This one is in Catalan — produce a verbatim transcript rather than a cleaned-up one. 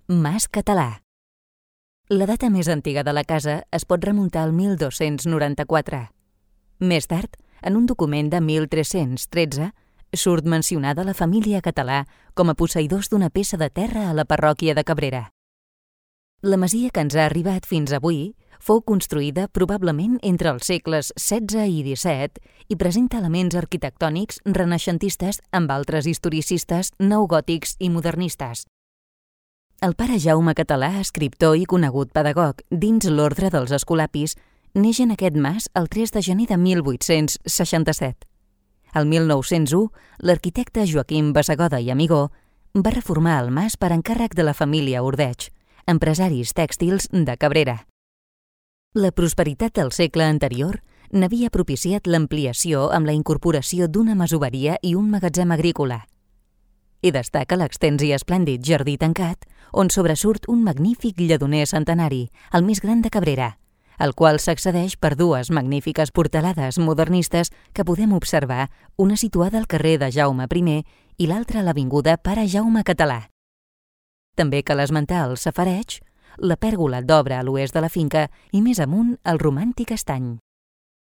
Mas Català. La data més antiga de la casa es pot remuntar al mil dos-cents noranta-quatre. Més tard, en un document de mil tres-cents tretze, surt mencionada la família Català com a posseïdors d'una peça de terra a la parròquia de Cabrera. La masia que ens ha arribat fins avui fou construïda probablement entre els segles setze i disset i presenta elements arquitectònics renaixentistes amb altres historicistes neogòtics i modernistes. El pare Jaume Català, escriptor i conegut pedagog dins l'ordre dels escolapis, neix en aquest mas el tres de gener de mil vuit-cents seixanta-set. El mil nou-cents u, l'arquitecte Joaquim Bassegoda i Amigó va reformar el mas per encàrrec de la família Ordeig, empresaris tèxtils de Cabrera. La prosperitat del segle anterior n'havia propiciat l'ampliació amb la incorporació d'una masoveria i un magatzem agrícola. Hi destaca l'extens i esplèndid jardí tancat, on sobresurt un magnífic lledoner centenari, el més gran de Cabrera, al qual s'accedeix per dues magnífiques portalades modernistes que podem observar, una situada al carrer de Jaume primer i l'altra a l'avinguda Pare Jaume Català. També cal esmentar el safareig, la pèrgola d'obra a l'oest de la finca i més amunt el romàntic estany.